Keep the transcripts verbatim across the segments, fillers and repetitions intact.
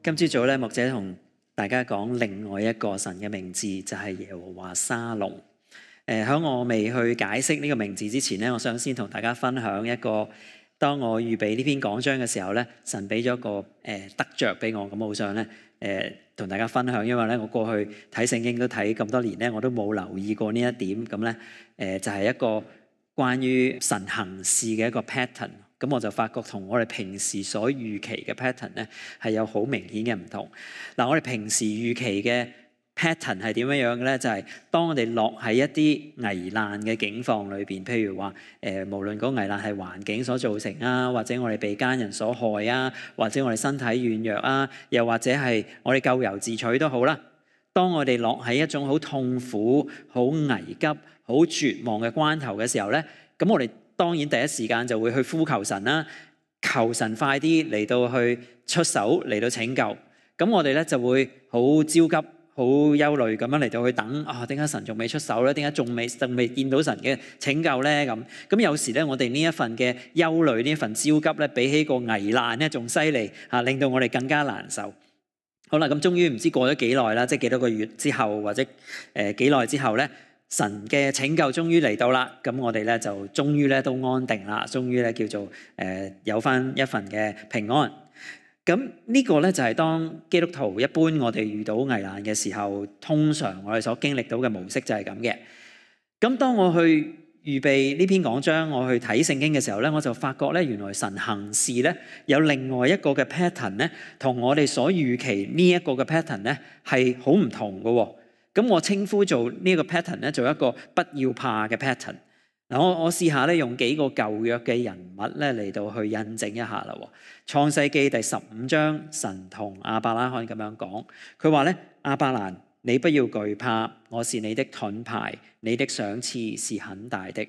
今朝早咧，牧者同大家講另外一個神嘅名字，就係耶和華沙龍。誒，喺我未去解釋呢個名字之前咧，我想先同大家分享一個，當我預備呢篇講章嘅時候咧，神俾咗個誒得着俾我，咁我好想咧誒同大家分享，因為咧我過去睇聖經都睇咁多年咧，我都冇留意過呢一點，咁咧誒就係一個關於神行事嘅一個 pattern。咁我就發覺同我哋平時所預期嘅 pattern 咧係有好明顯嘅唔同。嗱，我哋平時預期嘅 pattern 係點樣樣嘅咧？就係、是、當我哋落喺一啲危難嘅境況裏邊，譬如話誒、呃，無論嗰危難係環境所造成啊，或者我哋被奸人所害啊，或者我哋身體軟弱啊，又或者係我哋咎由自取都好啦。當我哋落喺一種好痛苦、好危急、好絕望嘅關頭嘅時候咧，咁我哋當然第一時間就會去呼求神啦，求神快啲嚟到去出手嚟到拯救。咁我哋咧就會好焦急、好憂慮咁樣嚟到去等啊，點解神仲未出手咧？點解仲未仲未見到神嘅拯救咧？咁咁有時咧，我哋呢一份嘅憂慮、呢一份焦急咧，比起個危難咧仲犀利嚇，令到我哋更加難受。好啦，咁終於唔知過咗幾耐啦，即係幾多個月之後，或者誒幾耐之後咧，神嘅拯救終於嚟到啦，咁我哋咧就終於咧都安定啦，終於咧叫做誒、呃、有翻一份嘅平安。咁呢個咧就係當基督徒一般我哋遇到危難嘅時候，通常我哋所經歷到嘅模式就係咁嘅。咁當我去預備呢篇講章，我去睇聖經嘅時候咧，我就發覺咧原來神行事咧有另外一個嘅 pattern 咧，同我哋所預期呢一個嘅 pattern 咧係好唔同嘅喎。咁我稱呼做呢一個 pattern 咧，做一個不要怕嘅 pattern。嗱，我我試下咧用幾個舊約嘅人物咧嚟到去印證一下啦。創世記第十五章，神同亞伯拉罕咁樣講，佢話咧：亞伯蘭，你不要懼怕，我是你的盾牌，你的賞賜是很大的。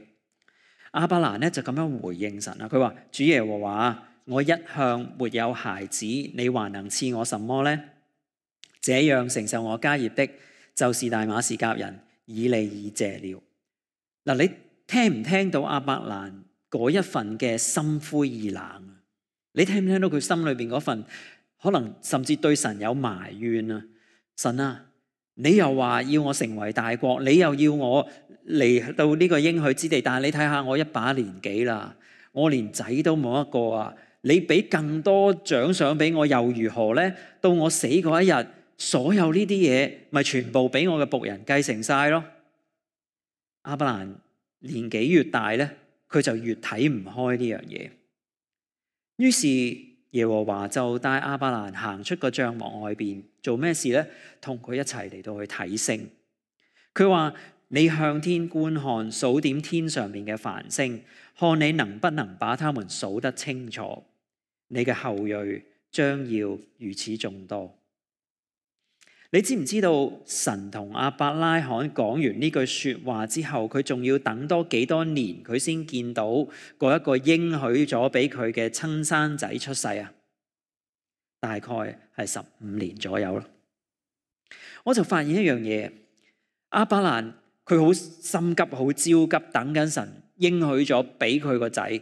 亞伯蘭咧就咁樣回應神啦，佢話：主耶和華，我一向沒有孩子，你還能賜我什麼呢？這樣承受我家業的，就是大馬士革人以利以謝了。嗱，你聽唔聽到亞伯蘭嗰一份嘅心灰意冷啊？你聽唔聽到佢心裏邊嗰份可能甚至對神有埋怨啊？神啊，你又話要我成為大國，你又要我嚟到呢個應許之地，但係你睇下我一把年紀啦，我連仔都冇一個啊！你俾更多獎賞俾我又如何呢？到我死嗰一日，所有呢啲嘢咪全部俾我嘅僕人繼承晒咯。亞伯蘭年紀越大咧，佢就越睇唔開呢樣嘢。於是耶和華就帶亞伯蘭行出個帳幕外邊，做咩事咧？同佢一齊嚟到去睇星。佢話：你向天觀看，數點天上面嘅繁星，看你能不能把他們數得清楚。你嘅後裔將要如此眾多。你知唔知道神同亞伯拉罕講完呢句說話之後，佢仲要等多幾多年，佢先見到嗰一個應許咗俾佢嘅親生仔出世啊？大概係十五年左右咯。我就發現一樣嘢，亞伯蘭佢好心急、好焦急，等緊神應許咗俾佢個仔。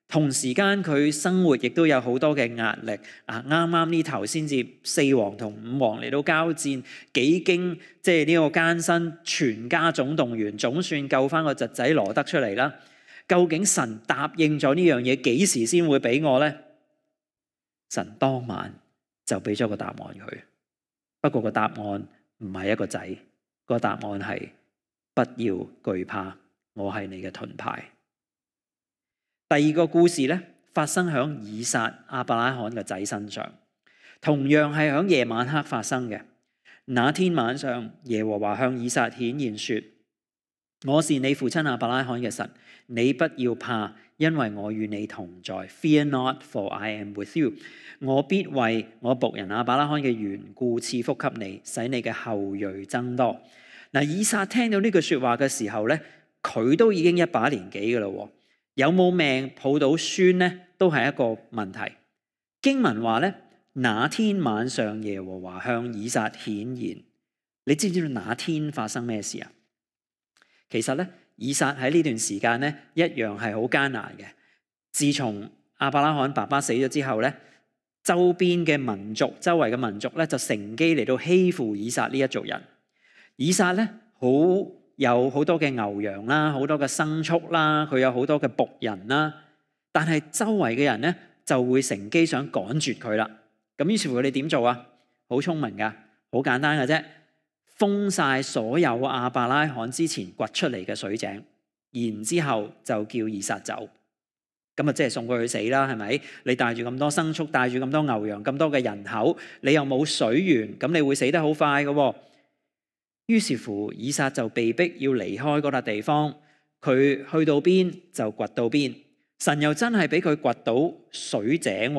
同時間佢生活亦都有好多嘅壓力啊！啱啱呢頭先至四王同五王嚟到交戰，幾經即係呢個艱辛，全家總動員，總算救翻個侄仔羅得出嚟啦。究竟神答應咗呢樣嘢，幾時先會俾我呢？神當晚就俾咗個答案佢。不過個答案唔係一個仔，個答案係不要懼怕，我係你嘅盾牌。第二個故事咧，發生喺以撒亞伯拉罕嘅仔身上，同樣係喺夜晚黑發生嘅。那天晚上，耶和華向以撒顯現說：我是你父親亞伯拉罕嘅神，你不要怕，因為我與你同在。Fear not, for I am with you。我必為我僕人亞伯拉罕嘅緣故賜福給你，使你嘅後裔增多。嗱，以撒聽到呢句說話嘅時候咧，佢都已經一把年紀噶啦。有冇命抱到孫呢？都係一個問題。經文話咧，那天晚上耶和華向以撒顯現。你知唔知道那天發生咩事啊？其實咧，以撒喺呢段時間咧，一樣係好艱難嘅。自從亞伯拉罕爸爸死咗之後咧，周邊嘅民族、周圍嘅民族咧就乘機嚟到欺負以撒呢一族人。以撒咧好有好多嘅牛羊啦，好多嘅牲畜啦，佢有好多嘅僕人啦，但係周圍嘅人咧就會乘機想趕絕佢啦。咁於是乎佢哋點做啊？好聰明噶，好簡單嘅啫，封晒所有亞伯拉罕之前掘出嚟嘅水井，然之後就叫以撒走。咁啊，即係送佢去死啦，係咪？你帶住咁多牲畜，帶住咁多牛羊，咁多嘅人口，你又冇水源，咁你會死得好快嘅。於是乎，以撒就被逼要離開嗰笪地方，佢去到邊就掘到邊。神又真係俾佢掘到水井，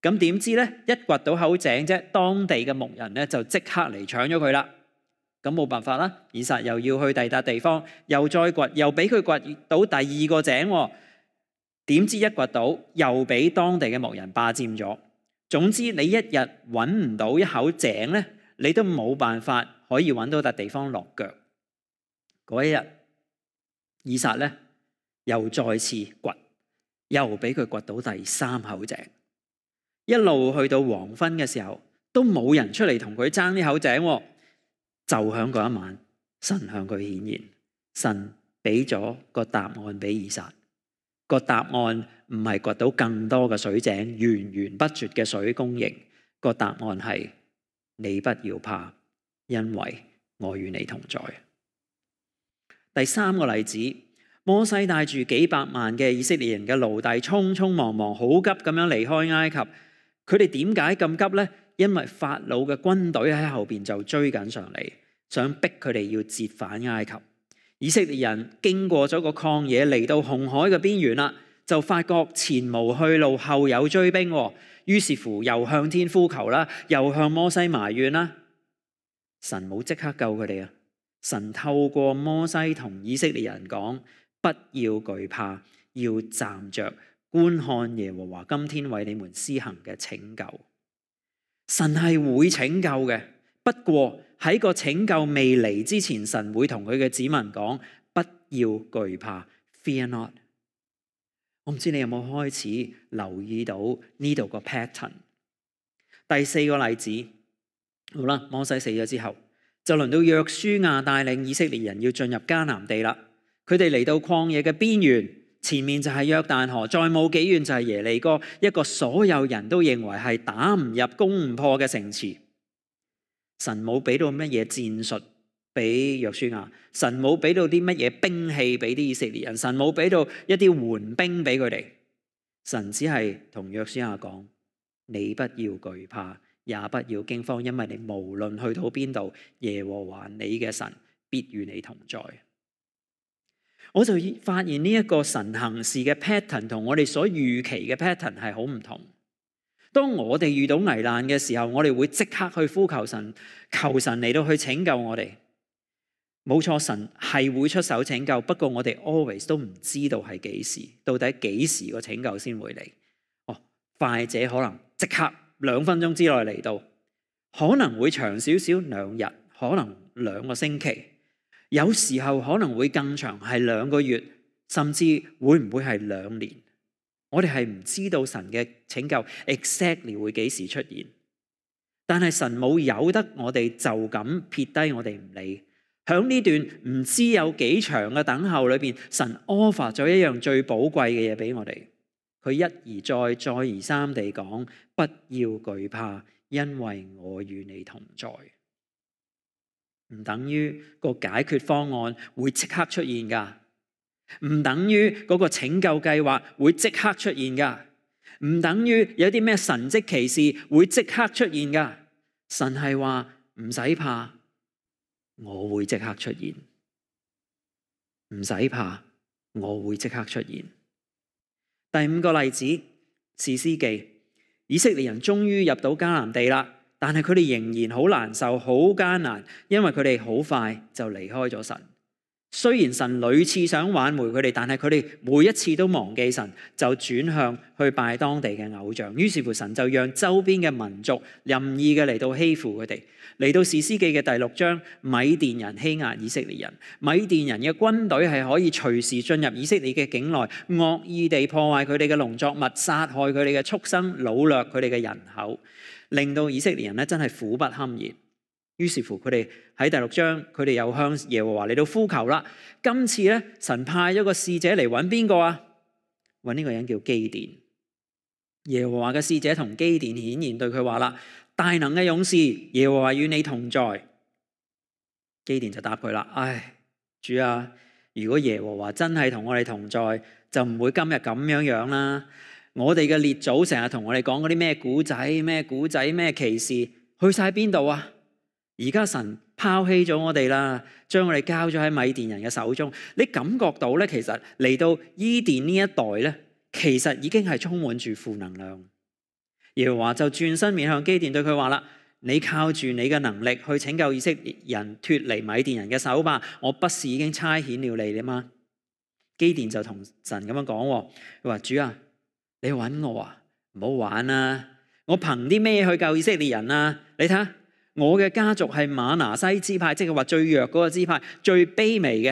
咁點知咧？一掘到口井啫，當地嘅牧人咧就即刻嚟搶咗佢啦。咁冇辦法啦，以撒又要去第二笪地方，又再掘，又俾佢掘到第二個井。點知一掘到，又俾當地嘅牧人霸佔咗。總之，你一日揾唔到一口井咧，你都冇辦法可以揾到笪地方落腳。嗰一日，以撒咧又再次掘，又俾佢掘到第三口井。一路去到黃昏嘅時候，都冇人出嚟同佢爭呢口井。就響嗰一晚，神向佢顯現，神俾咗個答案俾以撒。個答案唔係掘到更多嘅水井，源源不絕嘅水供應。個答案係你不要怕，因為我與你同在。第三個例子，摩西帶住幾百萬嘅以色列人嘅奴隸，匆匆忙忙，好急咁樣離開埃及。佢哋點解咁急呢？因為法老嘅軍隊喺後邊就追緊上嚟，想逼佢哋要折返埃及。以色列人經過咗個曠野，嚟到紅海嘅邊緣啦，就發覺前無去路，後有追兵。於是乎又向天呼求啦，又向摩西埋怨啦。神冇即刻救佢哋啊！神透過摩西同以色列人講：不要懼怕，要站着觀看耶和華今天為你們施行嘅拯救。神係會拯救嘅，不過喺個拯救未嚟之前，神會同佢嘅子民講：不要懼怕 ，Fear not。我唔知你有冇開始留意到呢度個 pattern。第四個例子，好啦，摩西死咗之後，就輪到約書亞帶領以色列人要進入迦南地啦。佢哋嚟到曠野嘅邊緣，前面就係約旦河，再冇幾遠就係耶利哥，一個所有人都認為係打唔入、攻唔破嘅城池。神冇俾到乜嘢戰術俾約書亞，神冇俾到啲乜嘢兵器俾啲以色列人，神冇俾到一啲援兵俾佢哋。神只係同約書亞講：你不要懼怕，也不要驚慌，因為你無論去到邊度，耶和華你嘅神必與你同在。我就發現呢一個神行事嘅 pattern 同我哋所預期嘅 pattern 係好唔同。當我哋遇到危難嘅時候，我哋會即刻去呼求神，求神嚟到去拯救我哋。冇錯，神係會出手拯救，不過我哋 always 都唔知道係幾時，到底幾時個拯救先會嚟。哦，快者可能即刻兩分鐘之內嚟到，可能會長少少兩日，可能兩個星期，有時候可能會更長，係兩個月，甚至會唔會係兩年？我哋係唔知道神嘅拯救 exactly 會幾時出現，但係神冇由得我哋就咁撇低我哋唔理。響呢段唔知有幾長嘅等候裏邊，神 offer 咗一樣最寶貴嘅嘢俾我哋。佢一而再、再而三地講：不要懼怕，因為我與你同在。唔等於個解決方案會即刻出現噶。唔等於嗰個拯救計劃會即刻出現噶，唔等於有啲咩神蹟奇事會即刻出現噶。神係話唔使怕，我會即刻出現。唔使怕，我會即刻出現。第五個例子，士師記，以色列人終於入到迦南地啦，但係佢哋仍然好難受、好艱難，因為佢哋好快就離開咗神。雖然神屢次想挽回佢哋，但係佢哋每一次都忘記神，就轉向去拜當地嘅偶像。於是乎神就讓周邊嘅民族任意嘅嚟到欺負佢哋。嚟到士師記嘅第六章，米甸人欺壓以色列人，米甸人嘅軍隊係可以隨時進入以色列嘅境內，惡意地破壞佢哋嘅農作物，殺害佢哋嘅畜生，擄掠佢哋嘅人口，令到以色列人咧真係苦不堪言。於是乎佢哋喺第六章，佢哋又向耶和華嚟到呼求啦。今次咧，神派咗個使者嚟揾邊個啊？揾呢個人叫基甸。耶和華嘅使者同基甸顯現對佢話啦：大能嘅勇士，耶和華與你同在。基甸就答佢啦：唉，主啊，如果耶和華真係同我哋同在，就唔會今日咁樣樣啦。我哋嘅列祖成日同我哋講嗰啲咩古仔、咩古仔、咩奇事，去晒邊度啊？而家神拋棄咗我哋啦，將我哋交咗喺米甸人嘅手中。你感覺到咧，其實嚟到伊甸呢一代咧，其實已經係充滿住負能量。耶和華就轉身面向基甸對佢話啦：你靠住你嘅能力去拯救以色列人脫離米甸人嘅手吧，我不是已經差遣了你嗎？基甸就同神咁樣講，佢話：主啊，你揾我啊，唔好玩啊！我憑啲咩去救以色列人啊？你睇下。我嘅家族係瑪拿西支派，即係話最弱嗰個支派，最卑微嘅。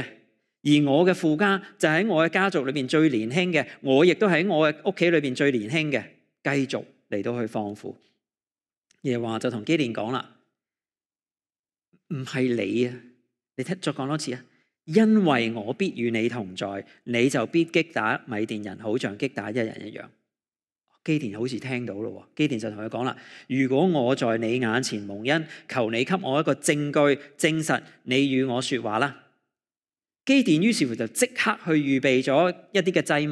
而我嘅父家就喺我嘅家族裏邊最年輕嘅，我亦都喺我嘅屋企裏邊最年輕嘅，繼續嚟到去放負。耶和華就同基甸講啦：唔係你啊，你聽再講多次啊，因為我必與你同在，你就必擊打米甸人，好像擊打一人一樣。基甸好似聽到咯，基甸就同佢講啦：如果我在你眼前蒙恩，求你給我一個證據證實你與我說話啦。基甸於是乎就即刻去預備咗一啲嘅祭物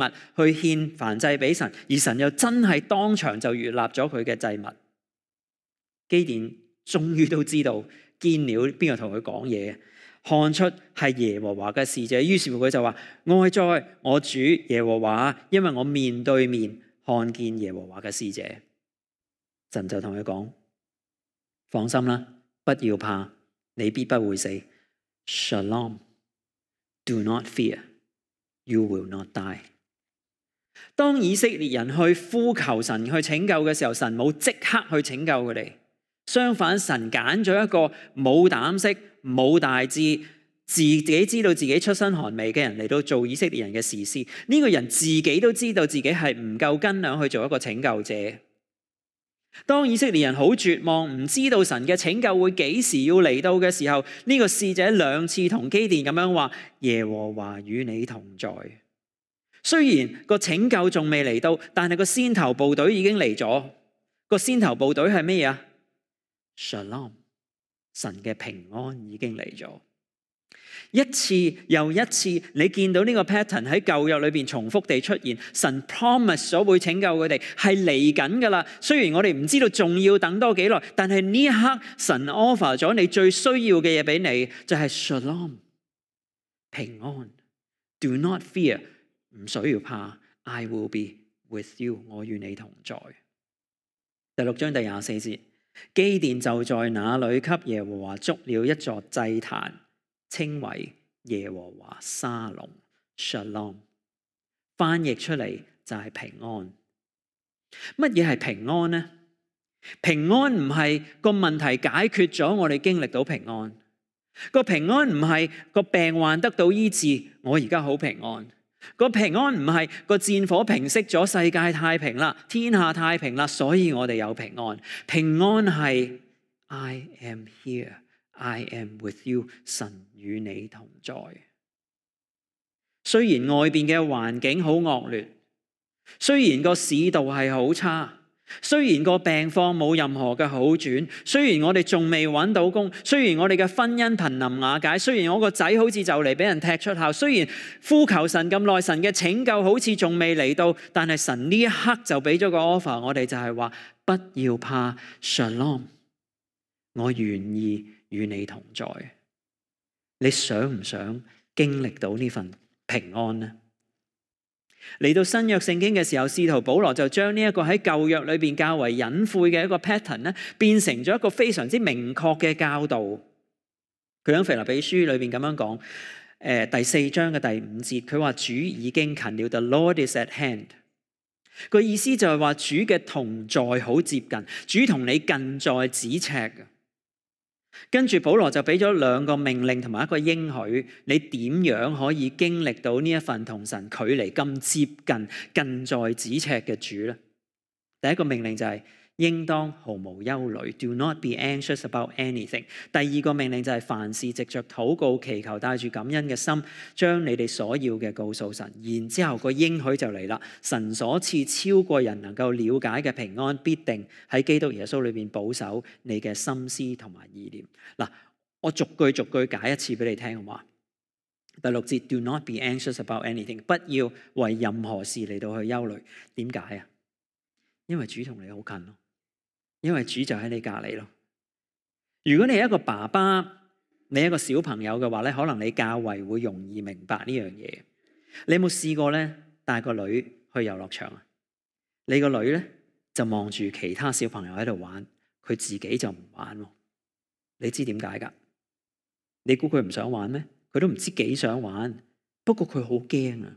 去獻燔祭俾神，而神又真係當場就悅納咗佢嘅祭物。基甸終於都知道見了邊個同佢講嘢，看出係耶和華嘅使者，於是乎佢就話：哀哉，我主耶和華，因為我面對面看見耶和華嘅使者。神就同佢講：放心啦，不要怕，你必不會死。Shalom, do not fear, you will not die。當以色列人去呼求神去拯救嘅時候，神冇即刻去拯救佢哋，相反神揀咗一個冇膽識、冇大志、自己知道自己出身寒微嘅人嚟到做以色列人嘅士師。呢個人自己都知道自己係唔夠斤兩去做一個拯救者。當以色列人好絕望，唔知道神嘅拯救會幾時要嚟到嘅時候，呢個使者兩次同基甸咁樣話：耶和華與你同在。雖然個拯救仲未嚟到，但係個先頭部隊已經嚟咗。個先頭部隊係咩啊？Shalom，神嘅平安已經嚟咗。一次又一次，你見到呢個 pattern 喺舊約裏邊重複地出現。神 promise 咗會拯救佢哋，係嚟緊噶啦。雖然我哋唔知道仲要等多幾耐，但係呢一刻神 offer 咗你最需要嘅嘢俾你，就係 Shalom， 平安。Do not fear， 唔需要怕。I will be with you， 我與你同在。第六章第廿四節，基甸就在那裏給耶和華築了一座祭壇，稱為耶和華沙龍 Shalom， 翻譯出嚟就係平安。乜嘢係平安呢？平安唔係個問題解決咗，我哋經歷到平安。個平安唔係個病患得到醫治，我而家好平安。個平安唔係個戰火平息咗，世界太平啦，天下太平啦，所以我哋有平安。平安係 I am here。I am with you， 神與你同在。雖然外邊嘅環境好惡劣，雖然個市道係好差，雖然個病況冇任何嘅好轉，雖然我哋仲未揾到工，雖然我哋嘅婚姻瀕臨瓦解，雖然我個仔好似就嚟俾人踢出校，雖然呼求神咁耐，神嘅拯救好似仲未嚟到，但係神呢一刻就俾咗個 offer， 我哋就係話不要怕 ，Shalom， 我願意與你同在。你想唔想經歷到呢份平安呢？嚟到新約聖經嘅時候，使徒保羅就將呢一個喺舊約裏邊較為隱晦嘅一個 pattern 咧，變成咗一個非常之明確嘅教導。佢喺腓立比書裏邊咁樣講：誒第四章嘅第五節，佢話主已經近了 ，The Lord is at hand。個意思就係話主嘅同在好接近，主同你近在咫尺嘅。跟住保羅就俾咗兩個命令同埋一個應許，你點樣可以經歷到呢一份同神距離咁接近、近在咫尺嘅主呢？第一個命令就係、是、應當毫無憂慮 ，Do not be anxious about anything。第二個命令就係凡事藉着禱告祈求，帶住感恩嘅心，將你哋所要嘅告訴神。然之後個應許就嚟啦，神所賜超過人能夠了解嘅平安，必定喺基督耶穌裏邊保守你嘅心思同埋意念。嗱，我逐句逐句解一次俾你聽，好嘛？第六節 ，Do not be anxious about anything， 不要為任何事嚟到去憂慮。點解啊？因為主同你好近咯。因為主就喺你隔籬咯。如果你係一個爸爸，你係一個小朋友嘅話咧，可能你較為會容易明白呢樣嘢。你有冇試過咧帶個女去遊樂場啊？你個女咧就望住其他小朋友喺度玩，佢自己就唔玩喎。你知點解噶？你估佢唔想玩咩？佢都唔知幾想玩，不過佢好驚啊。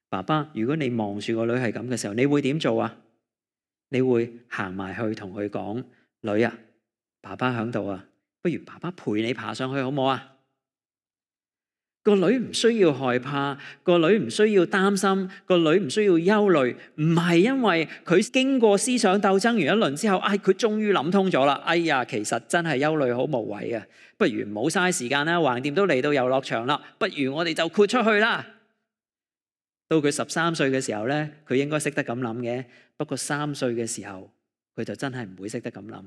爸爸，如果你望住個女係咁嘅時候，你會點做啊？你會行埋去同佢講，女啊，爸爸喺度啊，不如爸爸陪你爬上去好唔好啊？個女唔需要害怕，個女唔需要擔心，個女唔需要憂慮，唔係因為佢經過思想鬥爭完一輪之後，哎，佢終於諗通咗啦。哎呀，其實真係憂慮好無謂啊，不如唔好嘥時間啦，橫掂都嚟到遊樂場啦，不如我哋就豁出去啦。到佢十三歲嘅時候咧，佢應該識得咁諗嘅。不過三歲嘅時候，佢就真係唔會識得咁諗。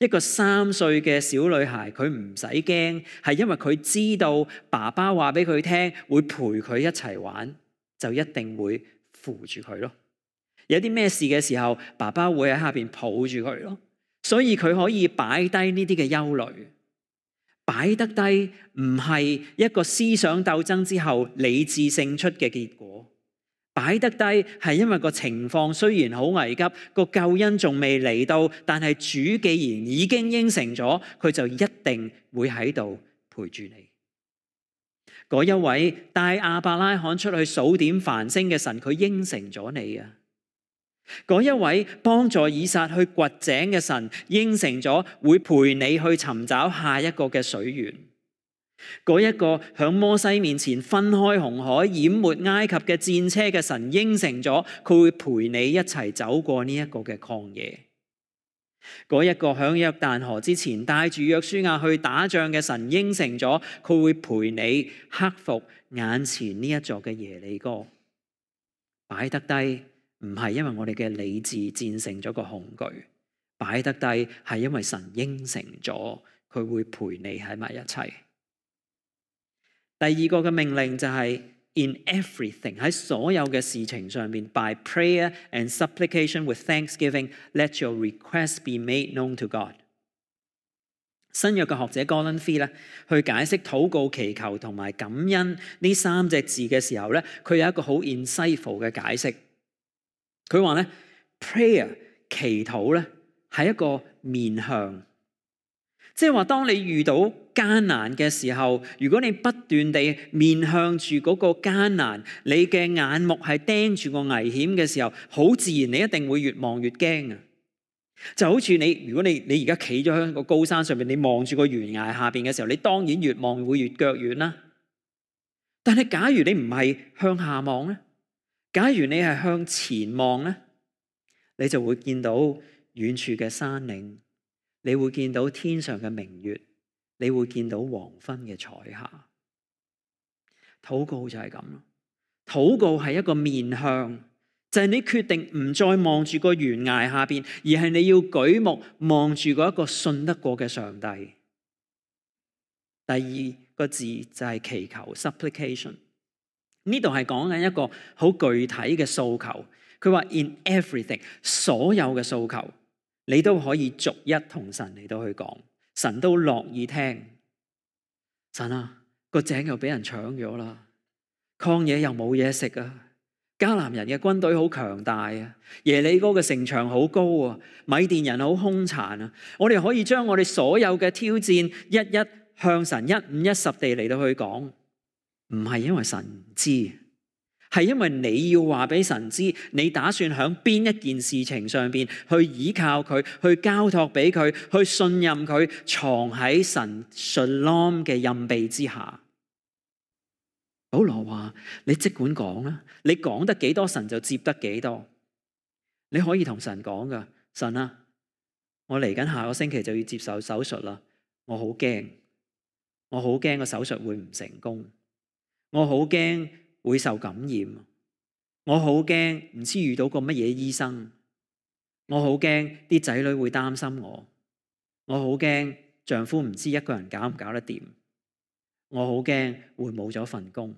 一個三歲嘅小女孩，佢唔使驚，係因為佢知道爸爸話俾佢聽，會陪佢一齊玩，就一定會扶住佢咯。有啲咩事嘅時候，爸爸會喺下邊抱住佢咯。所以佢可以擺低呢啲嘅憂慮。擺得低唔係一個思想鬥爭之後理智勝出嘅結果，擺得低係因為個情況雖然好危急，個救恩仲未嚟到，但係主既然已經應承咗，佢就一定會喺度陪住你。嗰一位帶亞伯拉罕出去數點繁星嘅神，佢應承咗你啊！嗰一位幫助以撒去掘井嘅神，應承咗會陪你去尋找下一個嘅水源。嗰一個響摩西面前分開紅海、淹沒埃及嘅戰車嘅神，應承咗佢會陪你一齊走過呢一個嘅曠野。嗰一個響約旦河之前帶住約書亞去打仗嘅神，應承咗佢會陪你克服眼前呢一座嘅耶利哥。擺得低唔係因為我哋嘅理智戰勝咗個恐懼，擺得低係因為神應承咗佢會陪你喺埋一齊。第二個嘅命令就係 in everything， 喺所有嘅事情上面 by prayer and supplication with thanksgiving let your request be made known to God。 新約嘅學者 Gordon Fee 咧去解釋禱告祈求同埋感恩呢三隻字嘅時候咧，佢有一個好 insightful 嘅解釋。佢話咧 prayer 祈禱咧係一個面向，即係話當你遇到艱難嘅時候，如果你不斷地面向住嗰個艱難，你嘅眼目係盯住個危險嘅時候，好自然你一定會越望越驚啊！就好似你如果你你而家企咗喺個高山上面，你望住個懸崖下邊嘅時候，你當然越望會越腳軟啦。但係假如你唔係向下望咧，假如你係向前望咧，你就會見到遠處嘅山嶺，你會見到天上嘅明月，你會見到黃昏嘅彩霞。禱告就係咁咯，禱告係一個面向，就係你決定唔再望住個懸崖下邊，而係你要舉目望住嗰一個信得過嘅上帝。第二個字就係祈求 supplication。呢度係講緊一個好具體嘅訴求，佢話 in everything， 所有嘅訴求你都可以逐一同神嚟到去講，神都樂意聽。神啊，個井又俾人搶咗啦，曠野又冇嘢食啊，迦南人嘅軍隊好強大啊，耶利哥嘅城牆好高啊，米甸人好兇殘啊，我哋可以將我哋所有嘅挑戰一一向神一五一十地嚟到去講，唔係因為神唔知，係因為你要話俾神知，你打算喺邊一件事情上邊去依靠佢，去交託俾佢，去信任佢，藏喺神 Shalom 嘅蔭庇之下。保羅話：你即管講啦，你講得幾多，神就接得幾多。你可以同神講噶，神啊，我嚟緊下個星期就要接受手術啦，我好驚，我好驚個手術會唔成功，我好驚會受感染，我好驚唔知遇到個乜嘢醫生，我好驚啲仔女會擔心我，我好驚丈夫唔知一個人搞唔搞得掂，我好驚會冇咗份工。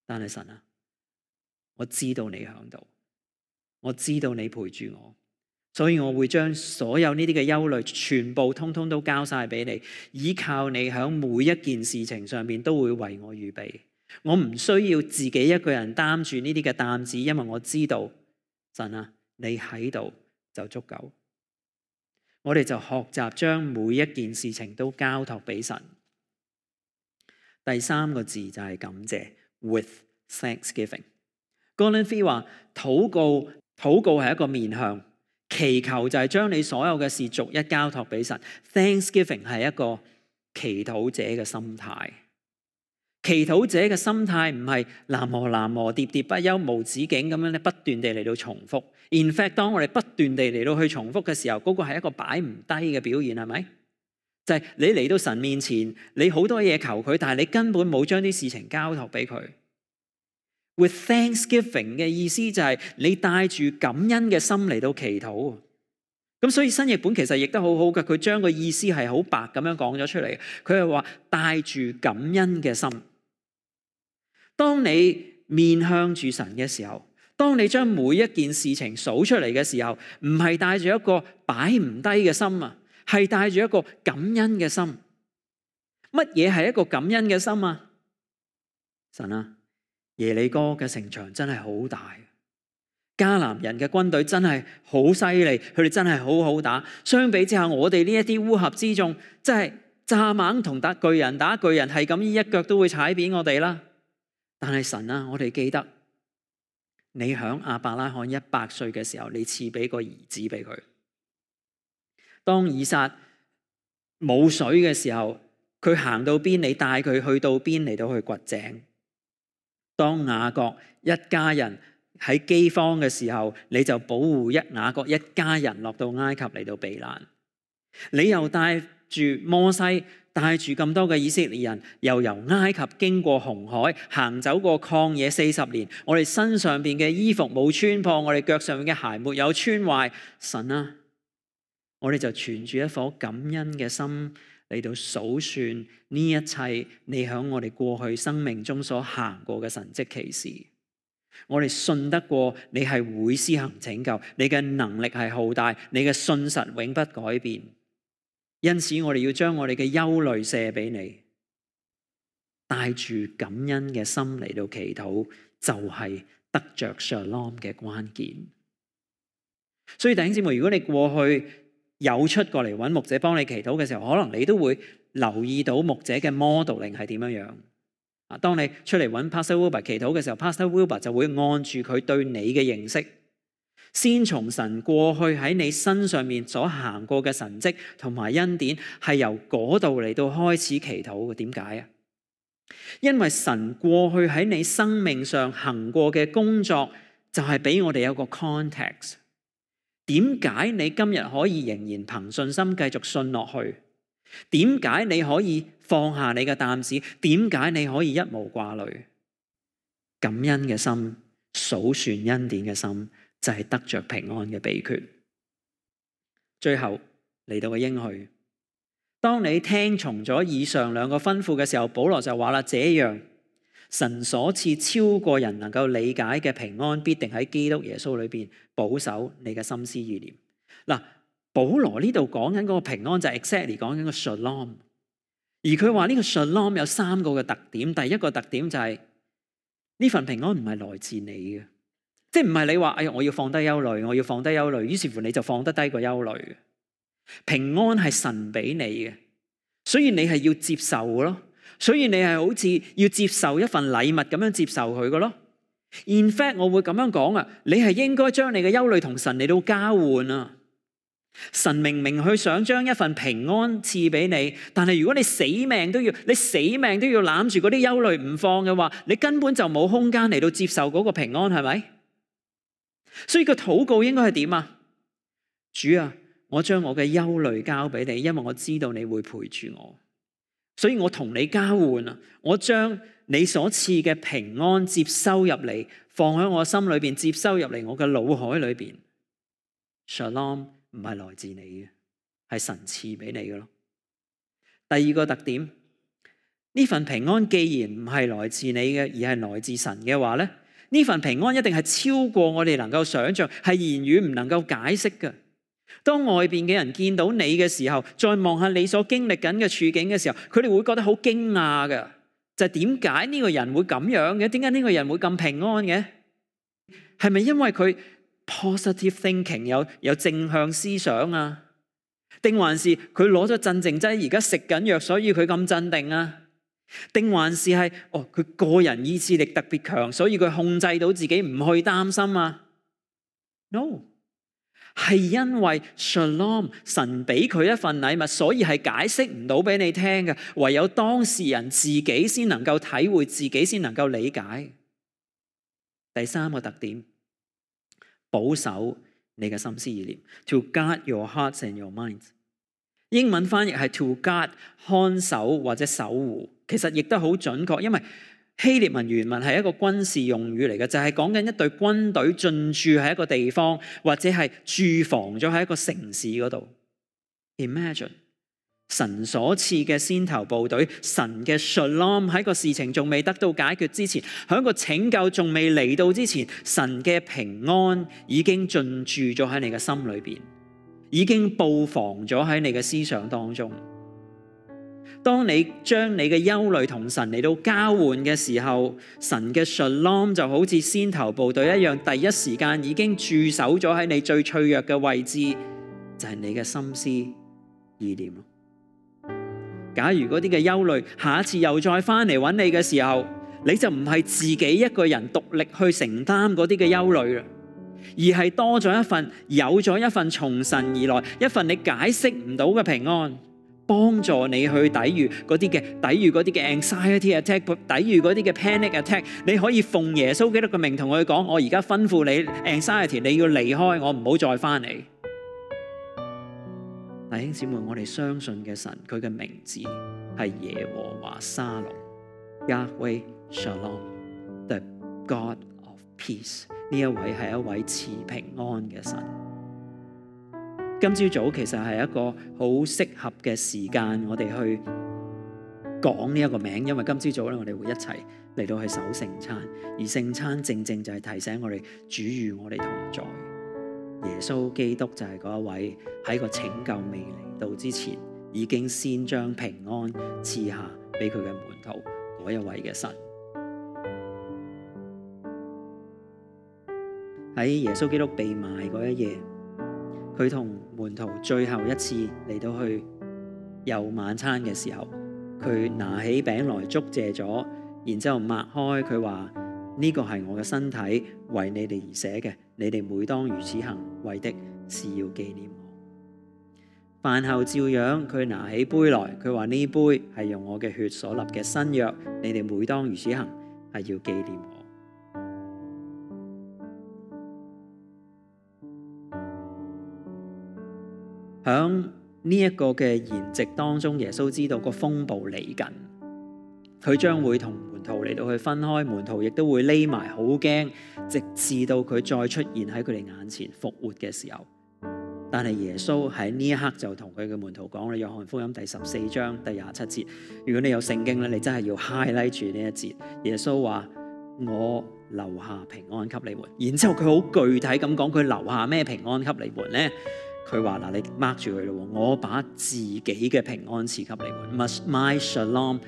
但係神啊，我知道你喺度，我知道你陪住我，所以我會將所有呢啲嘅憂慮全部通通都交晒俾你，依靠你喺每一件事情上面都會為我預備。我唔需要自己一個人擔住呢啲嘅擔子，因為我知道神啊，你喺度就足夠。我哋就學習將每一件事情都交託俾神。第三個字就係感謝 ，with thanksgiving。Gordon Fee 話：禱告，禱告係一個面向，祈求就係將你所有嘅事逐一交託俾神。Thanksgiving 係一個祈禱者嘅心態。祈禱者嘅心態唔係南無南無喋喋不休無止境咁樣咧，不斷地嚟到重複。In fact， 當我哋不斷地嚟到去重複嘅時候，嗰個係一個擺唔低嘅表現，係咪？就係你嚟到神面前，你好多嘢求佢，但係你根本冇將啲事情交託俾佢。With thanksgiving 嘅意思就係你帶住感恩嘅心嚟到祈禱。咁所以新譯本其實譯得好好嘅，佢將個意思係好白咁樣講咗出嚟。佢係話帶住感恩嘅心。當你面向住神嘅時候，當你將每一件事情數出嚟嘅時候，唔係帶住一個擺唔低嘅心啊，係帶住一個感恩嘅心。乜嘢係一個感恩嘅心啊？神啊，耶利哥嘅城牆真係好大，迦南人嘅軍隊真係好犀利，佢哋真係好好打。相比之下，我哋呢一啲烏合之眾，真係蚱蜢同打巨人打巨人，係咁一腳都會踩扁我哋啦。但係神啊，我哋記得你響亞伯拉罕一百歲嘅時候，你賜俾個兒子俾佢。當以撒冇水嘅時候，佢行到邊，你帶佢去到邊嚟到去掘井。當雅各一家人喺饑荒嘅時候，你就保護一雅各一家人落到埃及嚟到避難。你又帶住摩西，帶住咁多嘅以色列人，又由埃及經過紅海，行走過曠野四十年。我哋身上邊嘅衣服冇穿破，我哋腳上面嘅鞋沒有穿壞。神啊，我哋就存住一顆感恩嘅心嚟到數算呢一切你喺我哋過去生命中所行過嘅神蹟奇事。我哋信得過你係會施行拯救，你嘅能力係浩大，你嘅信實永不改變。因此我哋要將我哋嘅憂慮卸俾你，帶住感恩嘅心嚟到祈禱，就係得着 Shalom 嘅關鍵。所以弟兄姊妹，如果你過去有出過嚟揾牧者幫你祈禱嘅時候，可能你都會留意到牧者嘅 modeling 係點樣樣。啊，當你出嚟揾 Pastor Wilbur 祈禱嘅時候， Pastor Wilbur 就會按住佢對你嘅認識，先從神過去喺你身上面所行過嘅神蹟同埋恩典，係由嗰度嚟到開始祈禱嘅。點解啊？因為神過去喺你生命上行過嘅工作，就係俾我哋有個 context。點解你今日可以仍然憑信心繼續信落去？點解你可以放下你嘅擔子？點解你可以一無掛慮？感恩嘅心，數算恩典嘅心，就係得着平安嘅秘訣。最後嚟到嘅應許，當你聽從咗以上兩個吩咐嘅時候，保羅就話啦：這樣神所賜超過人能夠理解嘅平安，必定喺基督耶穌裏邊保守你嘅心思意念。嗱，保羅呢度講緊嗰個平安就係 exactly 講緊個 Shalom， 而佢話呢個 Shalom 有三個嘅特點。第一個特點就係、是、呢份平安唔係來自你嘅，即係唔係你話哎呀我要放低憂慮，我要放低憂慮，於是乎你就放得低個憂慮。平安係神俾你嘅，所以你係要接受嘅咯，所以你係好似要接受一份禮物咁樣接受佢嘅咯。In fact， 我會咁樣講啊，你係應該將你嘅憂慮同神嚟到交換啊。神明明去想將一份平安賜俾你，但係如果你死命都要，你死命都要攬住嗰啲憂慮唔放嘅話，你根本就冇空間嚟到接受嗰個平安，係咪？所以個禱告應該係點啊？主啊，我將我嘅憂慮交俾你，因為我知道你會陪住我，所以我同你交換啊！我將你所賜嘅平安接收入嚟，放喺我心裏邊，接收入嚟我嘅腦海裏邊。Shalom 唔係來自你嘅，係神賜俾你嘅咯。第二個特點，呢份平安既然唔係來自你嘅，而係來自神嘅話咧，呢份平安一定係超過我哋能夠想象，係言語唔能夠解釋嘅。當外邊嘅人見到你嘅時候，再望下你所經歷緊嘅處境嘅時候，佢哋會覺得好驚訝嘅，就係點解呢個人會咁樣嘅？點解呢個人會咁平安嘅？係咪因為佢 positive thinking 有有正向思想啊？定還是佢攞咗鎮靜劑而家食緊藥，所以佢咁鎮定啊？定還是係哦佢個人意志力特別強，所以佢控制到自己唔去擔心啊 ？No。係因為 Shalom 神俾佢一份禮物，所以係解釋唔到俾你聽嘅，唯有當事人自己先能夠體會，自己先能夠理解。第三個特點，保守你嘅心思意念 ，to guard your hearts and your minds。英文翻譯係 to guard 看守或者守護，其實亦都好準確，因為希臘文原文係一個軍事用語嚟嘅，就係講緊一隊軍隊進駐喺一個地方，或者係駐防咗喺一個城市嗰度。Imagine 神所賜嘅先頭部隊，神嘅 Shalom 喺個事情仲未得到解決之前，喺個拯救仲未嚟到之前，神嘅平安已經進駐咗喺你嘅心裏邊，已經布防咗喺你嘅思想當中。當你將你嘅憂慮同神嚟到交換嘅時候，神嘅 Shalom 就好似先頭部隊一樣，第一時間已經駐守咗喺你最脆弱嘅位置，就係你嘅心思意念咯。假如嗰啲嘅憂慮下一次又再翻嚟揾你嘅時候，你就唔係自己一個人獨力去承擔嗰啲嘅憂慮啦，而係多咗一份，有咗一份從神而來，一份你解釋唔到嘅平安，幫助你去抵禦嗰啲嘅抵禦嗰啲嘅 anxiety attack， 抵禦嗰啲嘅 panic attack。你可以奉耶穌基督嘅名同佢講：我而家吩咐你 anxiety， 你要離開我，唔好再翻嚟。弟兄姊妹，我哋相信嘅神，佢嘅名字係耶和華沙龍 Yahweh Shalom，the God of peace。呢一位係一位賜平安嘅神。今朝早其實係一個好適合嘅時間，我哋去講呢一個名，因為今朝早咧，我哋會一齊嚟到去守聖餐，而聖餐正正就係提醒我哋主與我哋同在。耶穌基督就係嗰一位喺個拯救未嚟到之前，已經先將平安賜下俾佢嘅門徒嗰一位嘅神。喺耶穌基督被賣嗰一夜，佢同門徒最後一次嚟到去有晚餐嘅時候，佢拿起餅來祝謝咗，然之後擘開，佢話呢個係我嘅身體，為你哋而寫嘅，你哋每當如此行，為的是要紀念我。飯後照樣，佢拿起杯來，佢話呢杯係用我嘅血所立嘅新約，你哋每當如此行，係要紀念我。響呢一個嘅筵席當中，耶穌知道個風暴嚟緊，佢將會同門徒嚟到去分開，門徒亦都會匿埋好驚，直至到佢再出現喺佢哋眼前復活嘅時候。但係耶穌喺呢一刻就同佢嘅門徒講啦，約翰福音第十四章第廿七節，如果你有聖經咧，你真係要 highlight 住呢一節。耶穌話：我留下平安給你們。然之後佢好具體咁講，佢留下咩平安給你們咧？佢話嗱，你 mark 住佢咯，我把自己嘅平安賜給你們。My shalom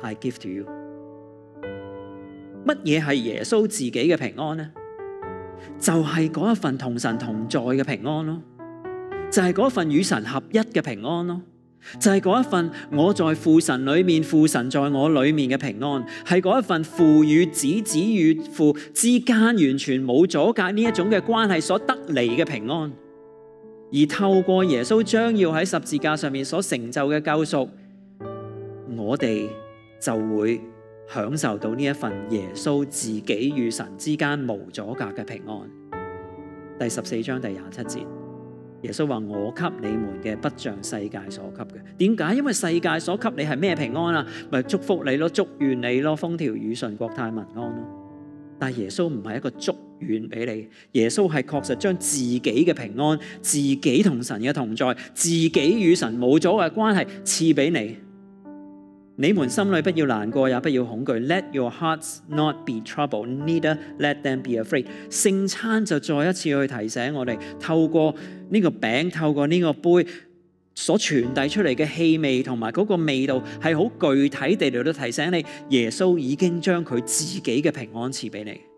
I give to you。乜嘢係耶穌自己嘅平安呢？就係嗰一份同神同在嘅平安咯，就係嗰一份與神合一嘅平安咯，就係嗰一份我在父神裏面，父神在我裏面嘅平安，係嗰一份父與子、子與父之間完全冇阻隔呢一種嘅關係所得嚟嘅平安。而透過耶穌將要喺十字架上面所成就嘅救贖，我哋就會享受到呢一份耶穌自己與神之間無阻隔嘅平安。第十四章第廿七節，耶穌話：我給你們嘅不像世界所給嘅。點解？因為世界所給你係咩平安啊？咪祝福你咯，祝願你咯，風調雨順，國泰民安咯。但係耶穌唔係一個祝願俾你，耶穌係確實將自己嘅平安、自己同神嘅同在、自己與神冇阻嘅關係賜俾你。你們心裏不要難過，也不要恐懼。Let your hearts not be troubled, neither let them be afraid。聖餐就再一次去提醒我哋，透過呢個餅，透過呢個杯所傳遞出嚟嘅氣味同埋嗰個味道，係好具體地嚟到提醒你，耶穌已經將佢自己嘅平安賜俾你。